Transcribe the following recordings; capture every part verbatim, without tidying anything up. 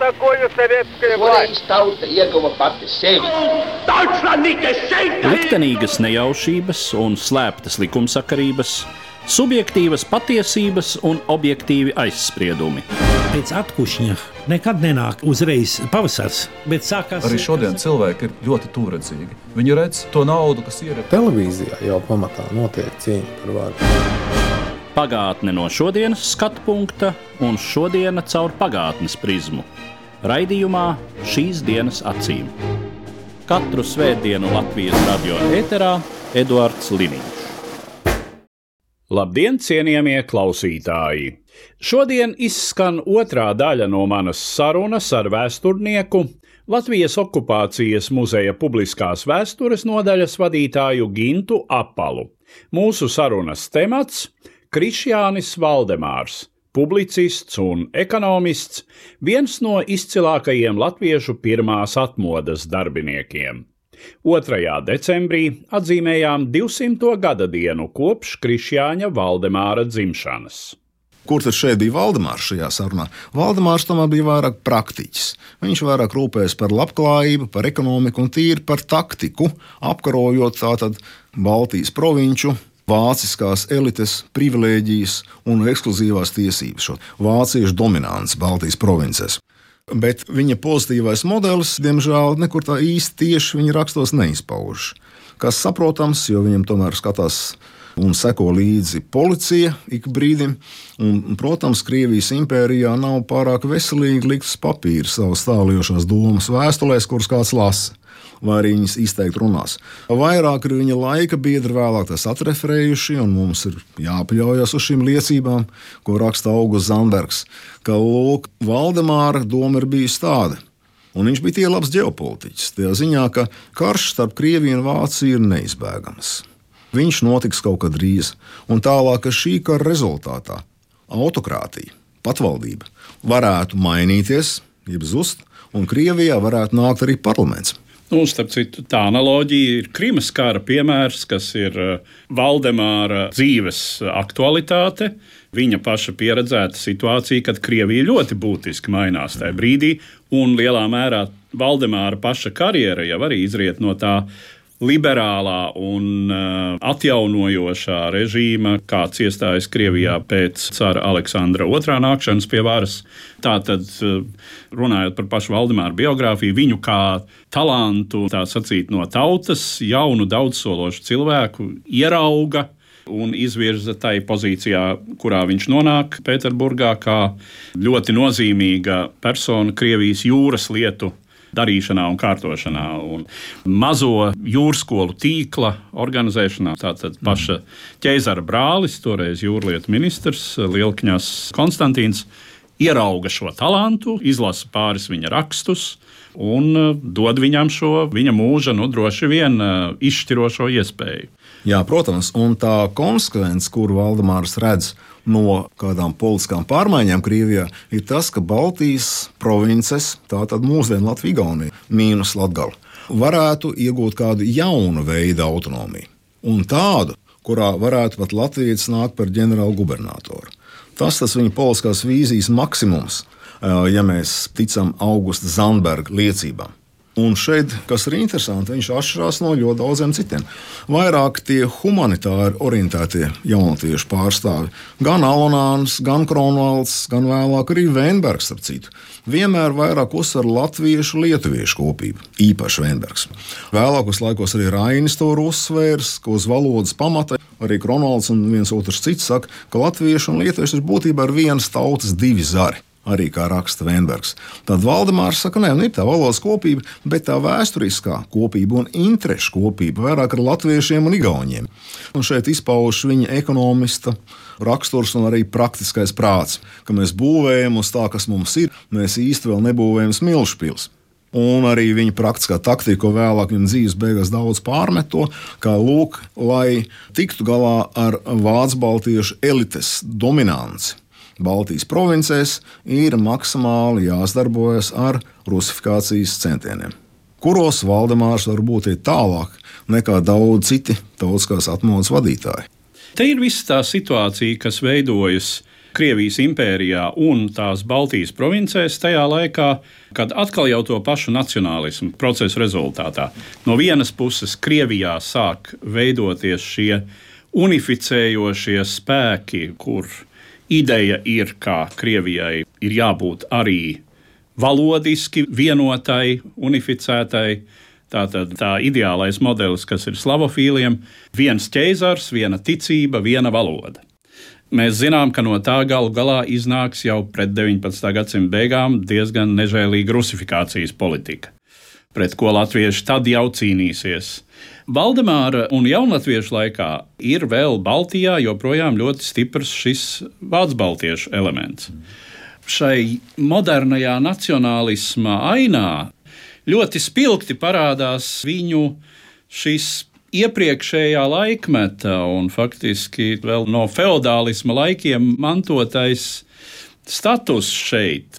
такое советская власть? Tauta ieguva pati sevi. Liktenīgas nejaušības un slēptas likumsakarības, subjektīvas patiesības un objektīvi aizspriedumi. Pēc atkušņa nekad nenāk uzreiz pavasars, bet sākās... Arī šodien cilvēki ir ļoti tūredzīgi. Viņi redz to naudu, kas ir... Televīzijā jau pamatā notiek cīņa par varu. Pagātne no šodienas skatu punkta un šodiena caur pagātnes prizmu. Raidījumā Šīs dienas acīm. Katru svētdienu Latvijas radio ēterā Eduards Liniņš. Labdien, cienījamie klausītāji! Šodien izskan otrā daļa no manas sarunas ar vēsturnieku, Latvijas okupācijas muzeja publiskās vēstures nodaļas vadītāju Gintu Apalu. Mūsu sarunas temats – Krišjānis Valdemārs, publicists un ekonomists, viens no izcilākajiem latviešu pirmās atmodas darbiniekiem. otrajā decembrī atzīmējām divsimto gada dienu kopš Krišjāņa Valdemāra dzimšanas. Kur tad šeit bija Valdemārs šajā sarunā? Valdemārs tomēr bija vairāk praktiķis. Viņš vairāk rūpējas par labklājību, par ekonomiku un tīri par taktiku, apkarojot tātad Baltijas provinču, vāciskās elites, privilēģijas un ekskluzīvās tiesības, šo vāciešu dominants Baltijas provincēs. Bet viņa pozitīvais modelis, diemžēl, nekur tā īsti tieši viņa rakstos neizpauž. Kas saprotams, jo viņam tomēr skatās un seko līdzi policija ik brīdim, un, protams, Krievijas impērijā nav pārāk veselīgi likt uz papīra savas tālējošās domas vēstulēs, kuras kāds lasa, vai arī viņas izteikti runās. Vairāk ir viņa laika biedri vēlāk tas atreferējuši, un mums ir jāpaļaujas uz šīm liecībām, ko raksta Augusts Zandbergs, ka, lūk, Valdemāra doma ir bijusi tāda, un viņš bija tie labs ģeopolitiķis, tajā ziņā, ka karš starp Krieviju un Vāciju ir neizbēgams. Viņš notiks kaut kad drīz, un tālāk, ka šī kara rezultātā autokrātija, patvaldība varētu mainīties, jeb zust, un Krievijā varētu nākt arī parlaments. Nu, starp citu, tā analoģija ir Krimas kara piemērs, kas ir Valdemāra dzīves aktualitāte. Viņa paša pieredzēta situācija, kad Krievija ļoti būtiski mainās tajā brīdī, un lielā mērā Valdemāra paša karjera jau arī izriet no tā liberālā un uh, atjaunojošā režīma, kāds iestājas Krievijā pēc cara Aleksandra otrā nākšanas pie varas. Tātad, uh, runājot par pašu Valdemāru biogrāfiju, viņu kā talantu, tā sacīt, no tautas, jaunu daudzsološu cilvēku ierauga un izvirza tai pozīcijā, kurā viņš nonāk Pēterburgā, kā ļoti nozīmīga persona Krievijas jūras lietu darīšanā un kārtošanā, un mazo jūrskolu tīkla organizēšanā. Tātad paša ķeizara brālis, toreiz jūrlietu ministrs Lielkņas Konstantīns, ierauga šo talantu, izlasa pāris viņa rakstus un dod viņam šo viņa mūža, nu, droši vien izšķirošo iespēju. Jā, protams, un tā konsekvence, kuru Valdemārs redz no kādām politiskām pārmaiņām Krievijā, ir tas, ka Baltijas provinces, tātad mūsdienu Latvija, Igaunija, mīnus Latgala, varētu iegūt kādu jaunu veidu autonomiju. Un tādu, kurā varētu pat latvietis nākt par ģenerālu gubernatoru. Tas tas viņa politiskās vīzijas maksimums, ja mēs ticam Augusta Zandberga liecībām. Un šeit, kas ir interesanti, viņš atšķirās no ļoti daudziem citiem. Vairāk tie humanitāri orientētie jaunatviešu pārstāvi, gan Alonāns, gan Kronvalds, gan vēlāk arī Veinbergs, ap citu, vienmēr vairāk uzsver latviešu lietuviešu kopību, īpaši Veinbergs. Vēlākos laikos arī Rainis to uzsvērs, ka uz valodas pamata arī Kronvalds un viens otrs cits saka, ka latviešu un lietuviešu ir būtībā ar vienas tautas divi zari. Arī kā raksta Veinbergs. Tad Valdemārs saka, nē, ir tā valodas kopība, bet tā vēsturiskā kopība un interešu kopība vairāk ar latviešiem un igauņiem. Un šeit izpauž viņa ekonomista raksturs un arī praktiskais prāts, ka mēs būvējam uz tā, kas mums ir, mēs īsti vēl nebūvējam smilšpils. Un arī viņa praktiskā taktika, ko vēlāk viņa dzīves beigās daudz pārmet to, kā lūk, lai tiktu galā ar vācu baltiešu elites dominanci Baltijas provincēs, ir maksimāli jāsadarbojas ar rusifikācijas centieniem, kuros Valdemārs var būt tālāk nekā daudz citi tautiskās atmodas vadītāji. Te ir visa tā situācija, kas veidojas Krievijas impērijā un tās Baltijas provincēs tajā laikā, kad atkal jau to pašu nacionālismu procesu rezultātā. No vienas puses Krievijā sāk veidoties šie unificējošie spēki, kur ideja ir, ka Krievijai ir jābūt arī valodiski vienotai, unificētai. Tātad tā ideālais modelis, kas ir slavofīliem, viens ķeizars, viena ticība, viena valoda. Mēs zinām, ka no tā galu galā iznāks jau pret deviņpadsmitā gadsimta beigām diezgan nežēlīga rusifikācijas politika, pret ko latvieši tad jau cīnīsies. Valdemāra un jaunatviešu laikā ir vēl Baltijā joprojām ļoti stiprs šis vācu-baltiešu elements. Šai modernajā nacionālisma ainā ļoti spilgti parādās viņu šis iepriekšējā laikmeta un faktiski vēl no feodālisma laikiem mantotais status šeit.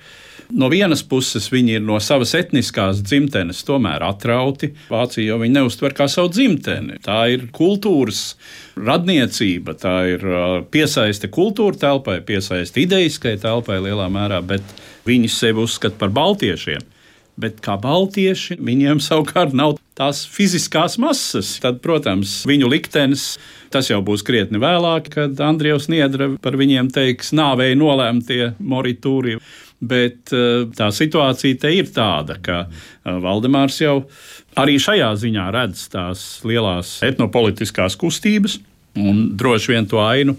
No vienas puses viņi ir no savas etniskās dzimtenes tomēr atrauti. Vācija jau viņi neuztver kā savu dzimteni. Tā ir kultūras radniecība, tā ir piesaiste kultūra telpai, piesaiste idejiskai telpai lielā mērā, bet viņi sevi uzskata par baltiešiem. Bet kā baltieši, viņiem savukārt nav tās fiziskās masas. Tad, protams, viņu liktenis, tas jau būs krietni vēlāk, kad Andrievs Niedra par viņiem teiks nāvēja nolēmtie moritūri. Bet tā situācija te ir tāda, ka Valdemārs jau arī šajā ziņā redz tās lielās etnopolitiskās kustības un droši vien to ainu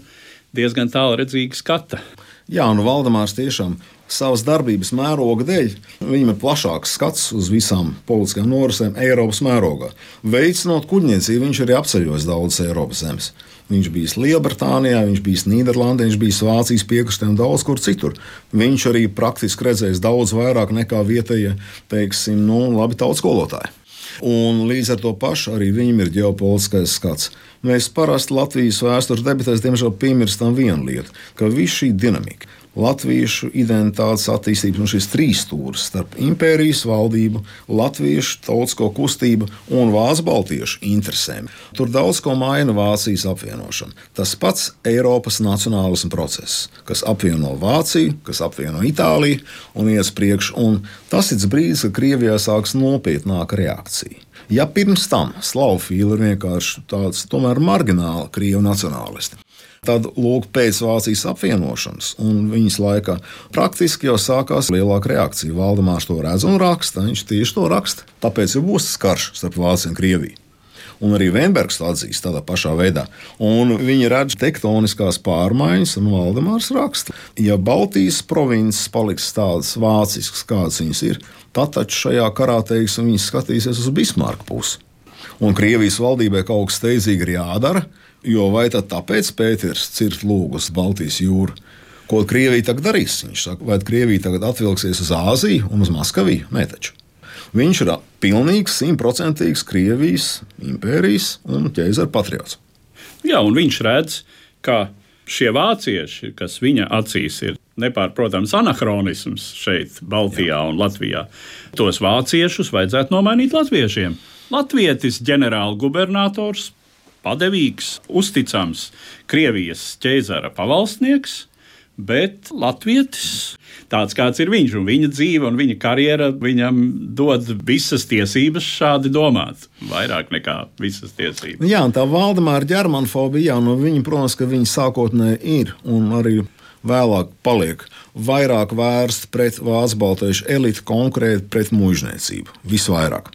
diezgan tālredzīgi skata. Jā, un Valdemārs tiešām savas darbības mēroga dēļ, viņam ir plašāks skats uz visām politiskajām norisēm Eiropas mērogā. Veicinot kuģniecību, viņš arī apceļos daudzas Eiropas zemes. Viņš bijis Lielbritānijā, viņš bijis Nīderlandē, viņš bijis Vācijas piekrastē un daudz kur citur. Viņš arī praktiski redzējis daudz vairāk nekā vietējie, teiksim, nu, labi tautas skolotāji. Un līdz ar to pašu arī viņam ir ģeopolitiskais skats. Mēs parasti Latvijas vēstures debatēs diemžēl piemirstam vienu lietu, ka viss šī dinamika, latviešu identitātes attīstības un šis trīs stūris starp impērijas valdību, latviešu tautisko kustību un vācu-baltiešu interesēm. Tur daudz ko maina Vācijas apvienošana. Tas pats Eiropas nacionālisma process, kas apvieno Vāciju, kas apvieno Itāliju un ies priekš, un tas ir brīdis, kad Krievijā sāks nopietnāka reakcija. Ja pirms tam slavofīli ir vienkārši tāds tomēr margināli krievu nacionālisti, tad, lūk, pēc Vācijas apvienošanas un viņas laikā praktiski jau sākās lielāka reakcija. Valdemārs to redz un raksta, viņš tieši to raksta. Tāpēc jau būs tas karš starp Vāciju un Krieviju. Un arī Veinbergs to atzīst tādā pašā veidā. Un viņi redz tektoniskās pārmaiņas, un Valdemārs raksta. Ja Baltijas provinces paliks tādas vāciskas, kādas viņas ir, tad taču šajā karā, teiksim, viņas skatīsies uz Bismarka pusi. Un Krievijas valdībai kaut kas steidzīgi ir jādara, jo vai tad tāpēc Pēters cirt lūgus Baltijas jūru? Ko Krievija tagad darīs? Viņš saka, vai Krievija tagad atvilksies uz Āziju un uz Maskaviju? Nē, taču. Viņš ir pilnīgs, simtprocentīgs Krievijas impērijas un ķeizara patriots. Jā, un viņš redz, ka šie vācieši, kas viņa acīs ir nepārprotams anahronisms šeit, Baltijā Jā. un Latvijā, tos vāciešus vajadzētu nomainīt latviešiem. Latvietis ģenerālgubernators, padevīgs, uzticams Krievijas ķeizara pavalstnieks, bet latvietis, tāds kāds ir viņš, un viņa dzīve un viņa karjera viņam dod visas tiesības šādi domāt, vairāk nekā visas tiesības. Jā, un tā Valdemāra ģermanfobija, jā, nu viņa, protams, ka viņa sākotnēji ir un arī vēlāk paliek vairāk vērsta pret vācu-baltiešu elitu, konkrēti pret muižniecību, visvairāk.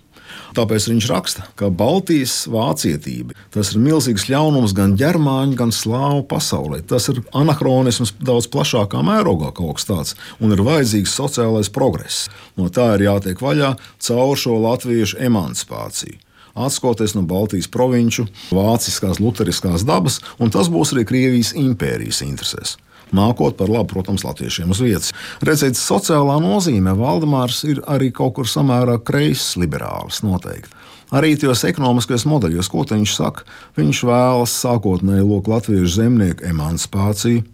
Tāpēc viņš raksta, ka Baltijas vācietība, tas ir milzīgs ļaunums gan ģermāņu, gan slāvu pasaulē. Tas ir anahronisms daudz plašākā mērogā kaut kas tāds, un ir vajadzīgs sociālais progress. No tā ir jātiek vaļā caur šo latviešu emancipāciju. Atskoties no Baltijas provinču, vāciskās, luteriskās dabas, un tas būs arī Krievijas impērijas interesēs. Nākot par labu, protams, latviešiem uz vietas. Redzēt, sociālā nozīmē Valdemārs ir arī kaut kur samērā kreiss liberālis noteikti. Arī tajos ekonomiskajos modeļos, ko viņš saka, viņš vēlas sākotnēji lūk latviešu zemnieku emancipāciju.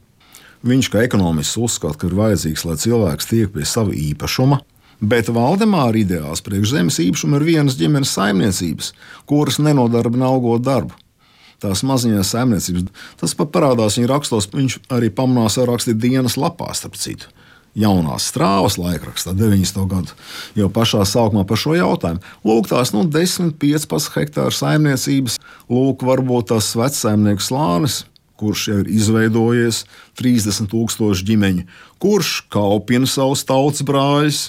Viņš kā ekonomists uzskata, ka ir vajadzīgs, lai cilvēks tiek pie sava īpašuma, bet Valdemāra ideāls priekš zemes īpašuma ir vienas ģimenes saimniecības, kuras nenodarbina algot darbu. tās maziņās saimniecības. Tas pat parādās viņa rakstos, viņš arī pamanās jau rakstīt dienas lapā, starp citu. Jaunās Strāvas laikrakstā, deviņdesmito gadu, jau pašā sākumā par šo jautājumu. Lūk, tās nu, desmit, piecpadsmit hektāru saimniecības, lūk, varbūt tās vecsaimnieku slānis, kurš jau ir izveidojies, trīsdesmit tūkstoši ģimeņu, kurš kaupina savus tautas brāļus,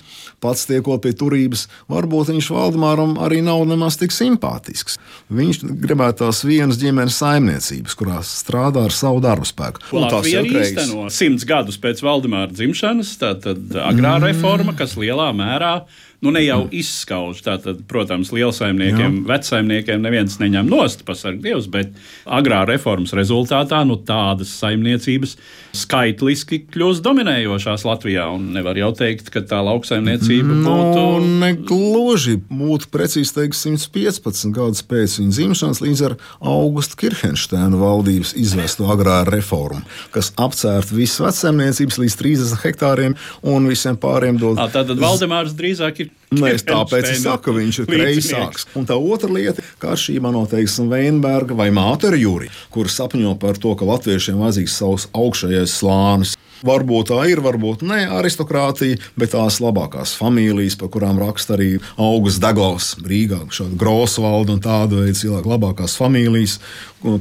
pats tiekot pie turības. Varbūt viņš Valdemāram arī nav nemaz tik simpātisks. Viņš gribētu tās vienas ģimenes saimniecības, kurās strādā ar savu darbu spēku. Latvija arī īsteno simts gadus pēc Valdemāra dzimšanas, tātad agrāra reforma, kas lielā mērā nu ne jau izskauž. Tātad, protams, lielsaimniekiem, Jā. vecsaimniekiem neviens neņem nost, pasarg Dievs, bet agrāra reformas rezultātā nu, tādas saimniecības skaitliski kļūst dominējošās Latvijā. Un nevar jau teikt, ka tā lauksaimniecība no, būtu... Negluži būtu precīzi teikt simts piecpadsmit gadus pēc viņa dzimšanas līdz ar Augusta Kirhenšteina valdības izvesto agrāra reformu, kas apcērt visas vecsaimniecības līdz trīsdesmit hektāriem un visiem pāriem dod... À, tātad Valdemārs drīzāk ir Nē, tāpēc es saku, ka viņš ir kreisāks. Un tā otra lieta, kā atšķirībā no, teiksim, Veinberga vai Mātera Juri, kur sapņo par to, ka latviešiem vajadzīgs savs augšējais slānis. Varbūt tā ir, varbūt ne aristokrātija, bet tās labākās familijas, par kurām raksta arī Augusts Deglovs Rīgā, šāda Grosvalda un tāda veida cilvēku labākās familijas,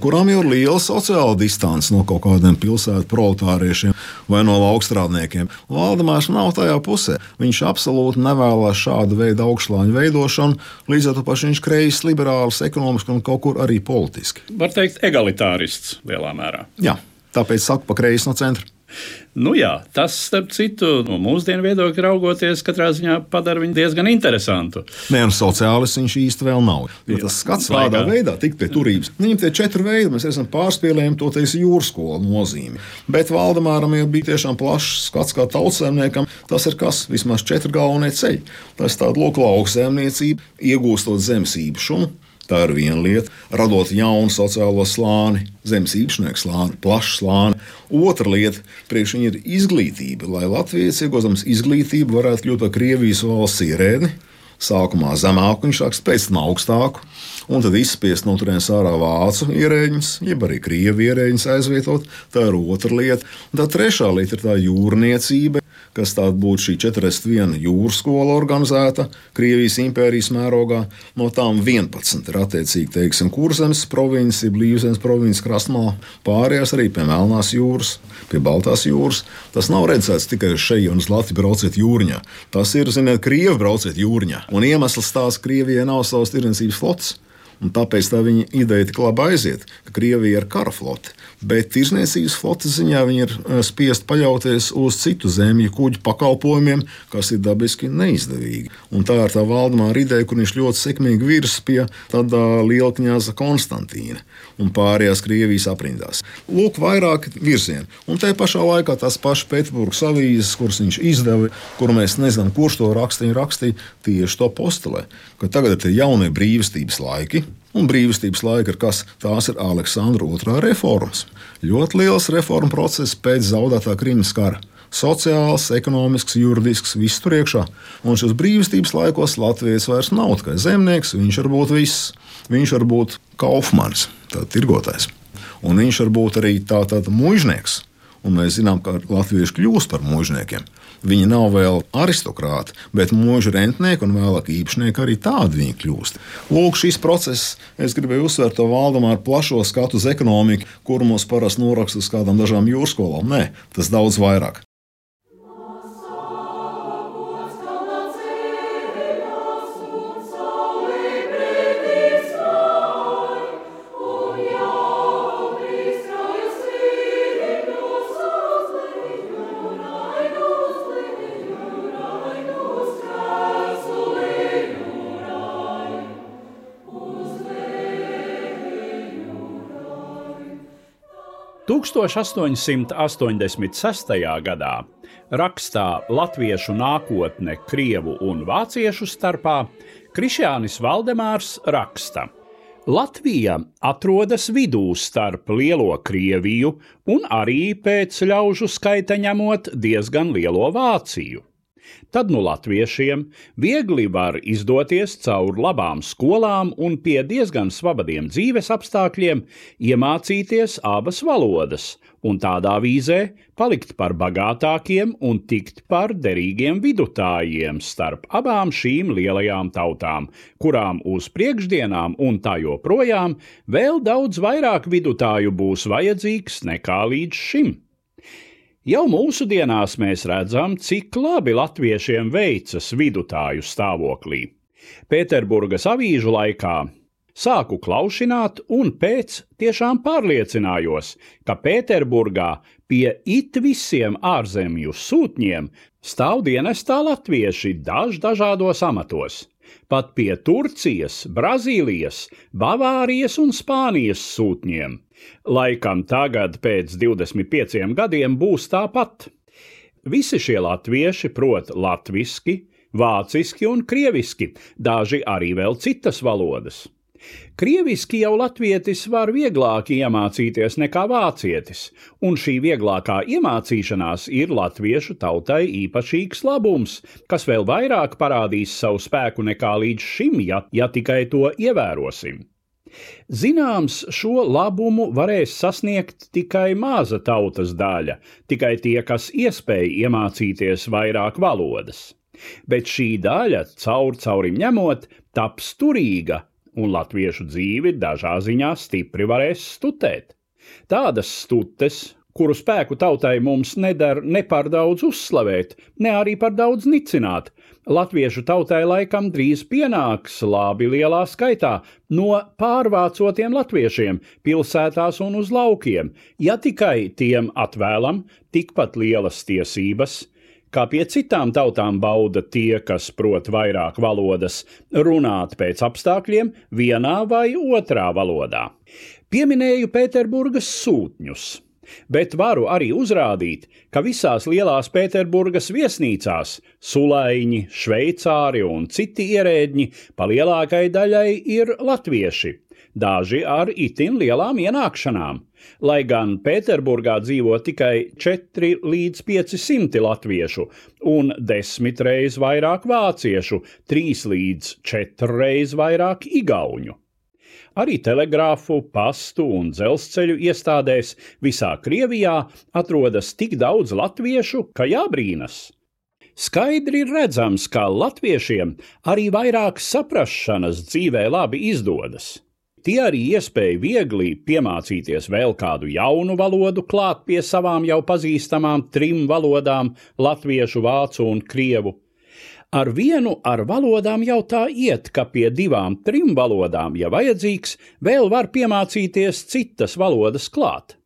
kurām jau ir liela sociāla distance no kaut kādiem pilsētu proletāriešiem vai no laukstrādniekiem. Valdemārs nav tajā pusē. Viņš absolūti nevēlas šādu veidu augšslāņu veidošanu, līdz ar to paši viņš kreis, liberāls, ekonomiski un kaut kur arī politiski. Var teikt, egalitārists lielā mērā. Jā, tāpēc saku pa kreisi no centra. Nu jā, tas, starp citu, no mūsdienu viedokļa raugoties, katrā ziņā padara viņu diezgan interesantu. Nē, un sociālists viņš īsti vēl nav. Jo tas skats kādā veidā tikt pie turības. Viņam tie četri veidi, mēs esam pārspēlējumi to teiks jūrskola nozīmi. Bet Valdemāram jau bija tiešām plašs skats kā tautsēmniekam. Tas ir kas? Vismaz četri galvenie ceļi. Tas tāda lūk lauksēmniecība, iegūstot zemes īpašumu. Tā ir viena lieta, radot jaunu sociālo slāni, zemes īpašnieku slāni, plašu slāni. Otra lieta, priekš viņa ir izglītība, lai Latvijas iegūstams izglītību varētu kļūt par Krievijas valsts ierēdni. Sākumā zemāku, viņš sāks pēc tam augstāku, un tad izspiest no turienes ārā vācu ierēģņus, jeb arī krievu ierēģņus aizvietot. Tā ir otra lieta. Un tā trešā lieta ir tā jūrniecība, kas tāda būtu šī četrdesmit viena jūras skola organizēta Krievijas impērijas mērogā. No tām vienpadsmit ir attiecīgi, teiksim, Kurzemes provinces, Blīvzemes provinces krastmalā, pārējās arī pie Melnās jūras, pie Baltās jūras. Tas nav redzēts tikai uz šeji un uz Latviju brauciet jūrņā. Tas ir, ziniet, Krievi brauciet jūrņā. Un iemesls tās Krievijai nav savas tirdzniecības flotes. Un tāpēc tā viņa ideja tik labi aiziet, ka Krievija ir kara flote. Bet tirdzniecības flotes ziņā viņi ir spiest paļauties uz citu zemju kuģu pakalpojumiem, kas ir dabiski neizdevīgi. Un tā ir tā Valdemāra ideja, kur viņš ļoti sekmīgi virs pie tādā lielkņaza Konstantīna un pārējās Krievijas aprindās. Lūk, vairāk virzieni. Un tajā pašā laikā tās pašas Pēterburgas avīzes, kuras viņš izdeva, kur mēs nezinām, kurš to rakstīja, rakstīja tieši to postulē, ka tagad ir tie jaunie brīvstības laiki. Un brīvstības laika ir kas? Tās ir Aleksandra otrā reformas. Ļoti liels reformu process pēc zaudētā Krimas kara. Sociāls, ekonomisks, juridisks, viss tur iekšā. Un šos brīvstības laikos Latvijas vairs nav tikai zemnieks, viņš var būt viss. Viņš var būt kaufmanis, tātad tirgotājs. Un viņš var būt arī tātad muižnieks. Un mēs zinām, ka latvieši kļūst par muižniekiem. Viņi nav vēl aristokrāti, bet mūža rentnieki un vēlāk īpašnieki arī tādi viņi kļūst. Lūk, šis process, es gribēju uzsvērt to Valdemāru plašo skatu uz ekonomiku, kuru mums parasti noraksta uz kādām dažām jūrskolām. Nē, tas daudz vairāk. tūkstoš astoņsimt astoņdesmit sestajā gadā rakstā Latviešu nākotne krievu un vāciešu starpā Krišjānis Valdemārs raksta: Latvija atrodas vidū starp lielo Krieviju un arī pēc ļaužu skaita ņemot diezgan lielo Vāciju. Tad nu latviešiem viegli var izdoties caur labām skolām un pie diezgan svabadiem dzīves apstākļiem iemācīties abas valodas un tādā vīzē palikt par bagātākiem un tikt par derīgiem vidutājiem starp abām šīm lielajām tautām, kurām uz priekšdienām un tā joprojām vēl daudz vairāk vidutāju būs vajadzīgs nekā līdz šim. Jau mūsdienās mēs redzam, cik labi latviešiem veicas vidutāju stāvoklī. Pēterburgas avīžu laikā sāku klaušināt un pēc tiešām pārliecinājos, ka Pēterburgā pie it visiem ārzemju sūtņiem stāv dienestā latvieši daž dažādos amatos. Pat pie Turcijas, Brazīlijas, Bavārijas un Spānijas sūtņiem. Laikam tagad pēc divdesmit pieciem gadiem būs tāpat. Visi šie latvieši prot latviski, vāciski un krieviski, daži arī vēl citas valodas. Krieviski jau latvietis var vieglāk iemācīties nekā vācietis, un šī vieglākā iemācīšanās ir latviešu tautai īpašīgs labums, kas vēl vairāk parādīs savu spēku nekā līdz šim, ja, ja tikai to ievērosim. Zināms, šo labumu varēs sasniegt tikai maza tautas daļa, tikai tie, kas iespēj iemācīties vairāk valodas. Bet šī daļa, caur caurim ņemot, taps turīga, un latviešu dzīvi dažā ziņā stipri varēs stutēt. Tādas stutes, kuru spēku tautai mums neder ne par daudz uzslavēt, ne arī par daudz nicināt, latviešu tautai laikam drīz pienāks labi lielā skaitā no pārvācotiem latviešiem pilsētās un uz laukiem, ja tikai tiem atvēlam tikpat lielas tiesības, kā pie citām tautām bauda tie, kas prot vairāk valodas, runāt pēc apstākļiem vienā vai otrā valodā. Pieminēju Pēterburgas sūtņus, bet varu arī uzrādīt, ka visās lielās Pēterburgas viesnīcās sulaiņi, šveicāri un citi ierēdņi pa lielākai daļai ir latvieši, daži ar itin lielām ienākšanām. Lai gan Pēterburgā dzīvo tikai četri līdz pieci simti latviešu un desmit reiz vairāk vāciešu, trīs līdz četri reiz vairāk igauņu. Arī telegrāfu, pastu un dzelzceļu iestādēs visā Krievijā atrodas tik daudz latviešu, ka jābrīnas. Skaidri redzams, ka latviešiem arī vairāk saprašanas dzīvē labi izdodas. Tie arī iespēja viegli piemācīties vēl kādu jaunu valodu klāt pie savām jau pazīstamām trim valodām – latviešu, vācu un krievu. Ar vienu ar valodām jau tā iet, ka pie divām, trim valodām, ja vajadzīgs, vēl var piemācīties citas valodas klāt.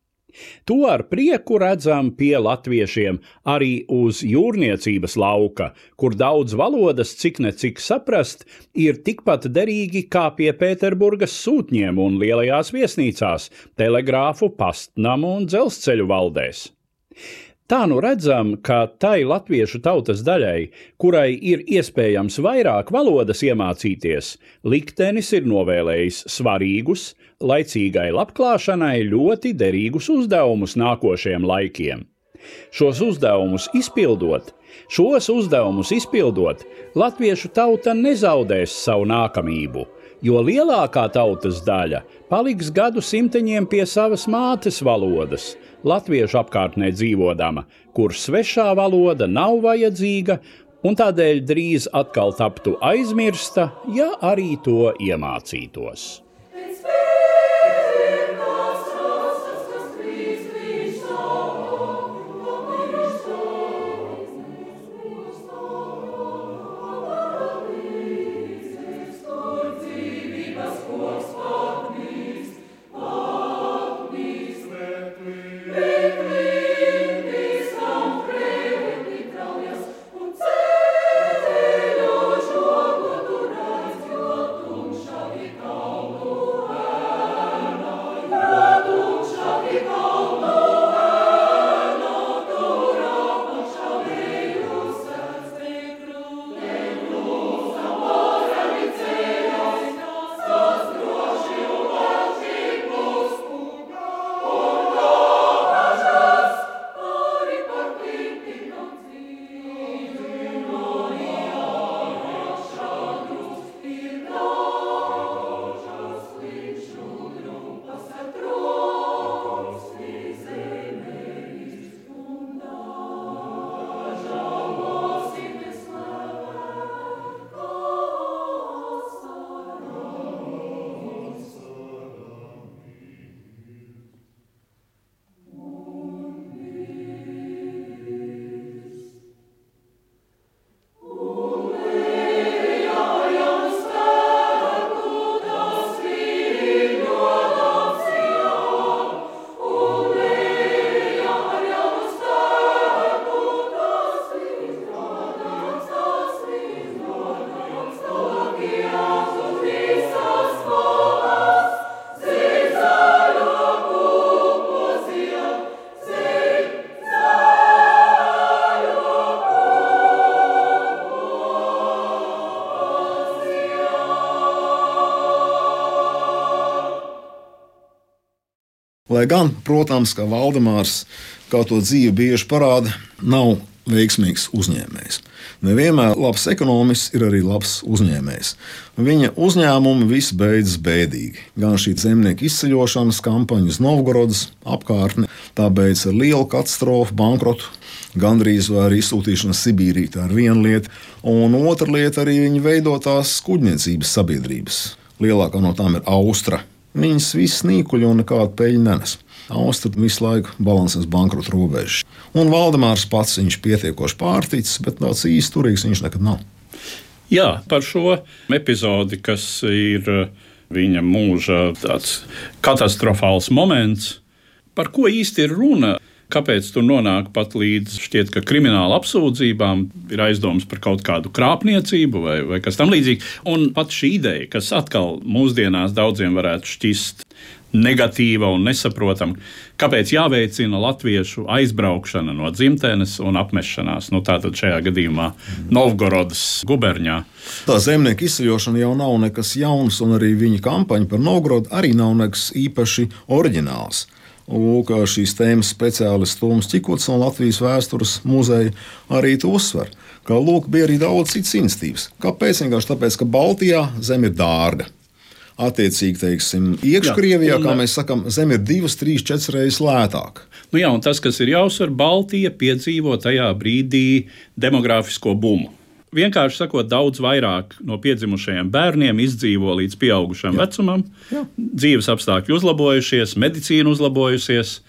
To ar prieku redzam pie latviešiem arī uz jūrniecības lauka, kur daudz valodas, cik ne cik saprast, ir tikpat derīgi kā pie Pēterburgas sūtņiem un lielajās viesnīcās, telegrāfu, pastnamu un dzelzceļu valdēs. Tā nu redzam, ka tai latviešu tautas daļai, kurai ir iespējams vairāk valodas iemācīties, liktenis ir novēlējis svarīgus, laicīgai labklāšanai ļoti derīgus uzdevumus nākošiem laikiem. Šos uzdevumus izpildot, šos uzdevumus izpildot, latviešu tauta nezaudēs savu nākamību, jo lielākā tautas daļa paliks gadu simteņiem pie savas mātes valodas, latviešu apkārtnē dzīvodama, kur svešā valoda nav vajadzīga un tādēļ drīz atkal taptu aizmirsta, ja arī to iemācītos. Oh Lai gan, protams, kā Valdemārs, kā to dzīve bieži parāda, nav veiksmīgs uzņēmējs. Nevienmēr labs ekonomists ir arī labs uzņēmējs. Viņa uzņēmumi visi beidzas bēdīgi. Gan šī zemnieku izceļošanas kampaņa uz Novgorodas apkārtni, tā beidzas ar lielu katastrofu, bankrotu, gandrīz vai arī izsūtīšana Sibīrī. Tā ir viena lieta. Un otra lieta arī viņa veidotās kuģniecības sabiedrības. Lielākā no tām ir Austra. Viņas visas nīkuļi un nekādu peļņu nenes. Austra visu laiku balansēs bankrota robežas. Un Valdemārs pats viņš pietiekoši pārticis, bet tāds īsti turīgs viņš nekad nav. Jā, par šo epizodi, kas ir viņa mūža tāds katastrofāls moments, par ko īsti ir runa? Kāpēc tur nonāk pat līdz šķiet, ka krimināla apsūdzībām ir aizdomas par kaut kādu krāpniecību vai, vai kas tam līdzīgi. Un pat šī ideja, kas atkal mūsdienās daudziem varētu šķist negatīva un nesaprotama, kāpēc jāveicina latviešu aizbraukšana no dzimtenes un apmešanās, nu tātad šajā gadījumā Novgorodas guberņā. Tā zemnieku izceļošana jau nav nekas jauns, un arī viņa kampaņa par Novgorodu arī nav nekas īpaši oriģināls. Lūk, šīs tēmas speciālists Toms Čikuts no Latvijas vēstures muzeja arī to uzsver, ka lūk, bija arī daudz citas iniciatīvas. Kāpēc? Vienkārši tāpēc, ka Baltijā zeme ir dārga. Attiecīgi, teiksim, iekškrievijā, kā mēs sakam, zeme ir divas, trīs, četras reizes lētāka. Nu jā, un tas, kas ir jāuzsver, Baltija piedzīvo tajā brīdī demogrāfisko bumu. Vienkārši sakot, daudz vairāk no piedzimušajiem bērniem izdzīvo līdz pieaugušam jā. vecumam. Jā. Dzīves apstākļi uzlabojušies, medicīna uzlabojusies,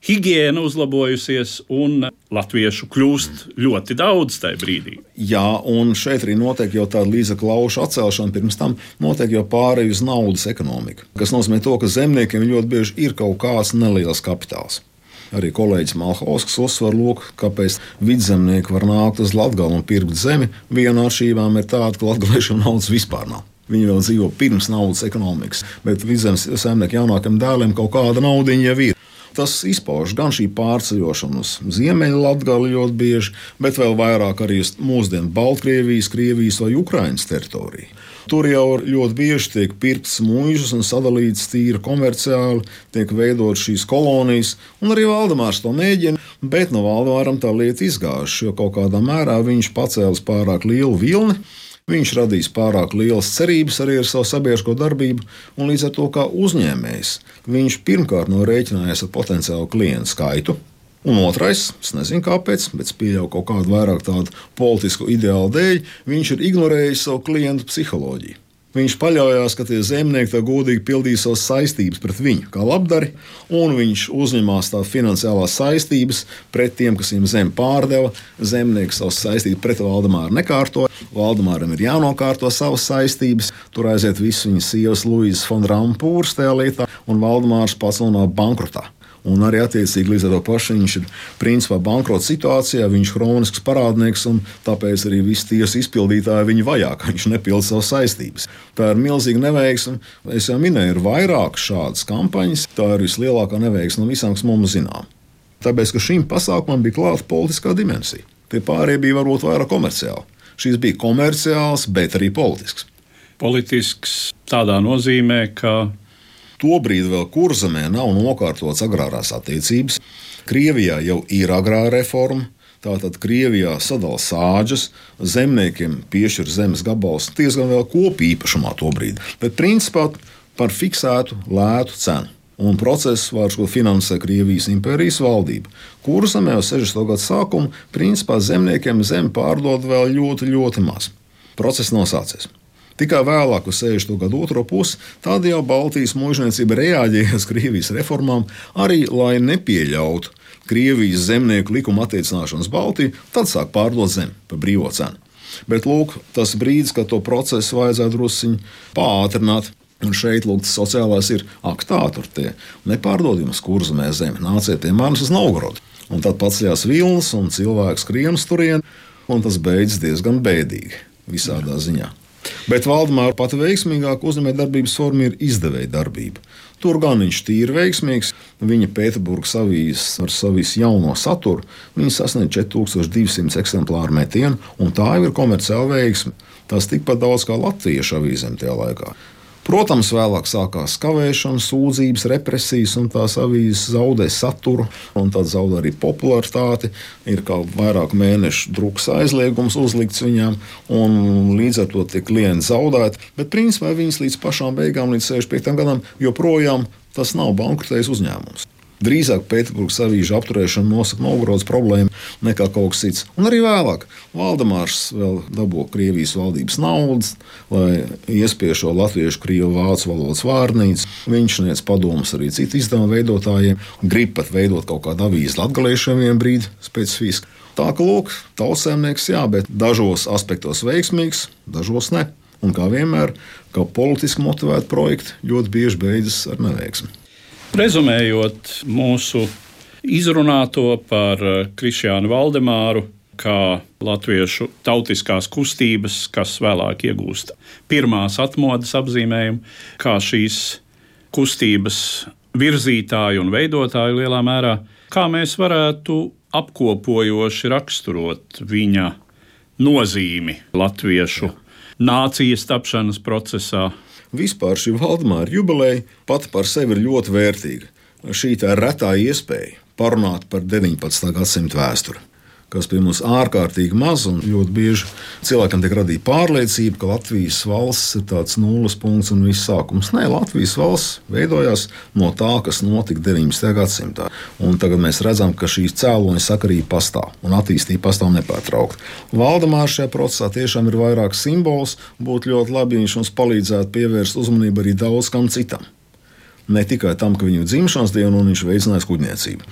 higiēna uzlabojusies un latviešu kļūst ļoti daudz tajā brīdī. Jā, un šeit arī notiek jau tāda līdzekļu laušu atcelšana, pirms tam notiek jau pārēj uz naudas ekonomiku, kas nozīmē to, ka zemniekiem ļoti bieži ir kaut kāds neliels kapitāls. Arī kolēģis Malhausks uzsver, lūk, kāpēc vidzemnieki var nākt uz Latgali un pirkt zemi. Viena no atšķirībām ir tāda, ka latgaliešiem naudas vispār nav. Viņi vēl dzīvo pirms naudas ekonomikas, bet vidzemes saimnieku jaunākiem dēliem kaut kāda naudiņa jau ir. Tas izpauž gan šī pārceļošana uz Ziemeļu Latgali ļoti bieži, bet vēl vairāk arī uz mūsdienu Baltkrievijas, Krievijas vai Ukrainas teritoriju. Tur jau ļoti bieži tiek pirktas muižas un sadalītas tīri komerciāli, tiek veidotas šīs kolonijas, un arī Valdemārs to mēģina, bet no Valdemāram tā lieta izgājuši, jo kaut kādā mērā viņš pacēlis pārāk lielu vilni. Viņš radīs pārāk lielas cerības arī ar savu sabiedrisko darbību, un līdz ar to kā uzņēmējs viņš pirmkārt nav rēķinājies ar potenciālu klientu skaitu. Un otrais, es nezinu kāpēc, bet es pieļauju kaut kādu vairāk tādu politisku ideālu dēļ, viņš ir ignorējis savu klientu psiholoģiju. Viņš paļaujās, ka tie zemnieki tā godīgi pildīja savas saistības pret viņu kā labdari, un viņš uzņemās tā finansiālās saistības pret tiem, kas viņam zemi pārdeva. Zemnieki savas saistības pret Valdemāru nekārtoja. Valdemāram ir jānokārto savas saistības. Tur aiziet visu viņa sievas Luīzes fon Rampūras tajā lietā, un Valdemārs pats nonāk bankrotā. Un arī attiecīgi līdz ar to pašu viņš ir principā bankrota situācijā, viņš ir hronisks parādnieks, un tāpēc arī visi tiesu izpildītāji viņu vajā, ka viņš nepilda savas saistības. Tā ir milzīga neveiksme. Es jau minēju, ir vairāk šādas kampaņas. Tā ir vislielākā neveiksme no visām, kas mums zinām. Tāpēc, ka šīm pasākumam bija klāta politiskā dimensija. Tie pārējie bija varbūt vairāk komerciāli. Šīs bija komerciāls, bet arī politisks. Politisks tādā nozīmē, ka tobrīd vēl Kurzemē nav nokārtotas agrārās attiecības. Krievijā jau ir agrāra reforma. Tātad Krievijā sadala sāģes, zemniekiem piešķir zemes gabals diezgan vēl kopīpašumā tobrīd, bet principā par fiksētu lētu cenu. Un procesu vairs finansē Krievijas impērijas valdība. Kurzemē jau sešdesmito gadu sākuma principā zemniekiem zemi pārdod vēl ļoti, ļoti maz. Process nav sācies. Tikai vēlāk, uz sešdesmito gadu otro pusi, tad jau Baltijas muižniecība reaģēja uz Krievijas reformām, arī lai nepieļautu Krievijas zemnieku likuma attiecināšanas Baltiju, tad sāk pārdot zemi par brīvo cenu. Bet lūk, tas brīdis, kad to procesu vajadzētu drusciņi pātrināt, un šeit lūk, tas sociālais ir, ak tā, tur tie nepārdod jums Kurzemē zemi, nāciet pie manis uz Novgorodu. Un tad paceļās vilnas un cilvēks skrien uz turieni, un tas beidzas diezgan bēdīgi visādā ziņā. Bet Valdemāra pati veiksmīgāka uzņēmējdarbības forma ir izdevēja darbība. Tur gan viņš tīri veiksmīgs. Viņa Pēterburgas avīzes ar savu jauno saturu sasniedz četri tūkstoši divi simti eksemplāru metienu, un tā jau ir komerciāla veiksme. Tas tikpat daudz kā latviešu avīzēm tajā laikā. Protams, vēlāk sākās kavēšana, sūdzības, represijas, un tās avīzes zaudē saturu, un tad zaudē arī popularitāti. Ir kā vairāku mēnešu drukas aizliegums uzlikts viņām, un līdz ar to tiek klienti zaudēti. Bet principā viņas līdz pašām beigām, līdz sešdesmit piektajam gadam, joprojām tas nav bankrotējis uzņēmums. Drīzāk Pēterburgas avīžu apturēšana nosaka Novgorodas problēmu nekā kaut kas cits. Un arī vēlāk Valdemārs vēl dabū Krievijas valdības naudas, lai iespiež šo latviešu, krievu, vācu valodas vārnīcu. Viņš sniedz padomus arī citu izdevumu veidotājiem, grib pat veidot kaut kādu avīzi latgaliešiem vien brīdi specifiski. Tā ka, lūk, tautsēmnieks, jā, bet dažos aspektos veiksmīgs, dažos ne. Un kā vienmēr, kā politiski motivēti projekti ļoti bieži beidzas ar neveiksmi. Rezumējot mūsu izrunāto par Krišjānu Valdemāru kā latviešu tautiskās kustības, kas vēlāk iegūst pirmās atmodas apzīmējumu, kā šīs kustības virzītāju un veidotāju lielā mērā, kā mēs varētu apkopojoši raksturot viņa nozīmi latviešu nācijas tapšanas procesā. Vispār šī Valdemāra jubileja pati par sevi ir ļoti vērtīga. Šī tā retā iespēja parunāt par deviņpadsmitā gadsimta vēsturi, kas pie mums ārkārtīgi maz, un ļoti bieži cilvēkam tiek radīta pārliecība, ka Latvijas valsts ir tāds nulles punkts un viss sākums. Nē, Latvijas valsts veidojās no tā, kas notika deviņpadsmitajā gadsimtā. Un tagad mēs redzam, ka šīs cēloņa sakarība pastāv un attīstība pastāv nepārtraukti. Valdemārs šajā procesā tiešām ir vairāk simbols, būtu ļoti labi, ja viņš mums palīdzētu pievērst uzmanību arī daudz kam citam. Ne tikai tam, ka viņu dzimšanas dienu un viņš veicinājis kuģniecību.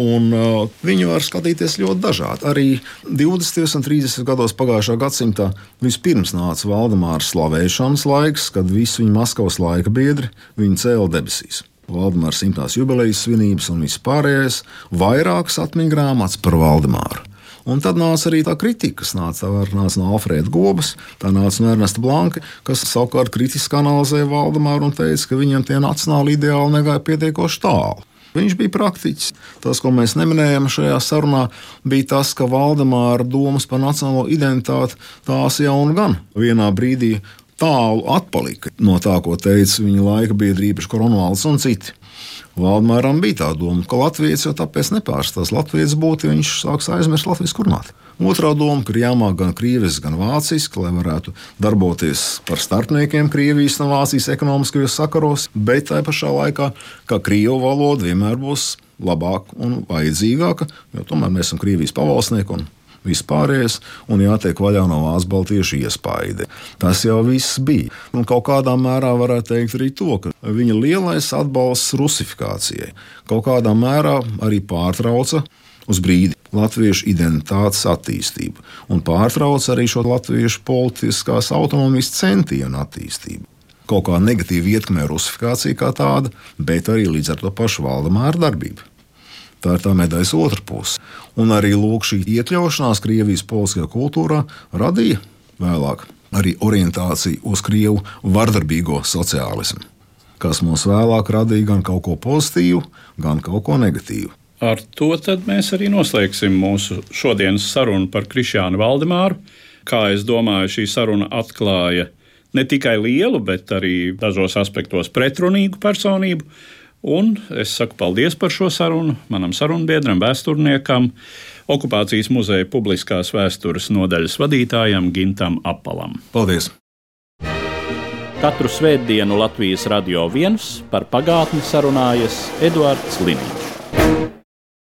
Un, uh, viņu var skatīties ļoti dažādi. Arī divdesmitajos un trīsdesmitajos gados pagājušā gadsimtā vispirms nāca Valdemāra slavēšanas laiks, kad visi viņa Maskavas laika biedri viņu cēla debesīs. Valdemāra simtās jubilejas svinības un viss pārējais, vairākas atmiņu grāmatas par Valdemāru. Un tad nāca arī tā kritika, kas nāca, nāca no Alfrēda Gobas, tā nāca no Ernesta Blanka, kas savukārt kritiski analizēja Valdemāru un teica, ka viņam tie nacionāli ideāli negāja pietiekoši tālu. Viņš bija praktiķis. Tas, ko mēs neminējam šajā sarunā, bija tas, ka Valdemāra domas par nacionālo identitāti tās jau un gan vienā brīdī tālu atpalika no tā, ko teica viņa laika biedri, īpaši Kornvalds un citi. Valdemāram bija tā doma, ka Latvijas jau tāpēc nepārstās. Latvijas būtu, ja viņš sāks aizmirst Latvijas kurmāti. Otrā doma, ka ir jāmāk gan krieviski, gan vāciski, lai varētu darboties par starpniekiem Krievijas un Vācijas ekonomiskajos sakaros, bet tajā pašā laikā, ka krievu valoda vienmēr būs labāka un vajadzīgāka, jo tomēr mēs esam Krievijas pavalsnieki un vispārējais, un jātiek vaļā no Vācu baltiešu iespaidi. Tas jau viss bija. Un kaut kādā mērā varētu teikt arī to, ka viņa lielais atbalsts rusifikācijai kaut kādā mērā arī pārtrauca uz brīdi latviešu identitātes attīstību un pārtrauca arī šo latviešu politiskās autonomijas centienu attīstību. Kaut kā negatīvi ietekmē rusifikācija kā tāda, bet arī līdz ar to pašu Valdemāra darbību. Tā ir tā medaļas otra puse. Un arī lūk, šī iekļaušanās Krievijas politiskajā kultūrā radīja vēlāk arī orientāciju uz krievu vardarbīgo sociālismu, kas mums vēlāk radīja gan kaut ko pozitīvu, gan kaut ko negatīvu. Ar to tad mēs arī noslēgsim mūsu šodienas sarunu par Krišjānu Valdemāru. Kā es domāju, šī saruna atklāja ne tikai lielu, bet arī dažos aspektos pretrunīgu personību. Un es saku paldies par šo sarunu manam sarunbiedram, vēsturniekam, Okupācijas muzeja publiskās vēstures nodaļas vadītājam Gintam Apalam. Paldies! Katru svētdienu Latvijas Radio viens par pagātni sarunājas Eduards Liniņš.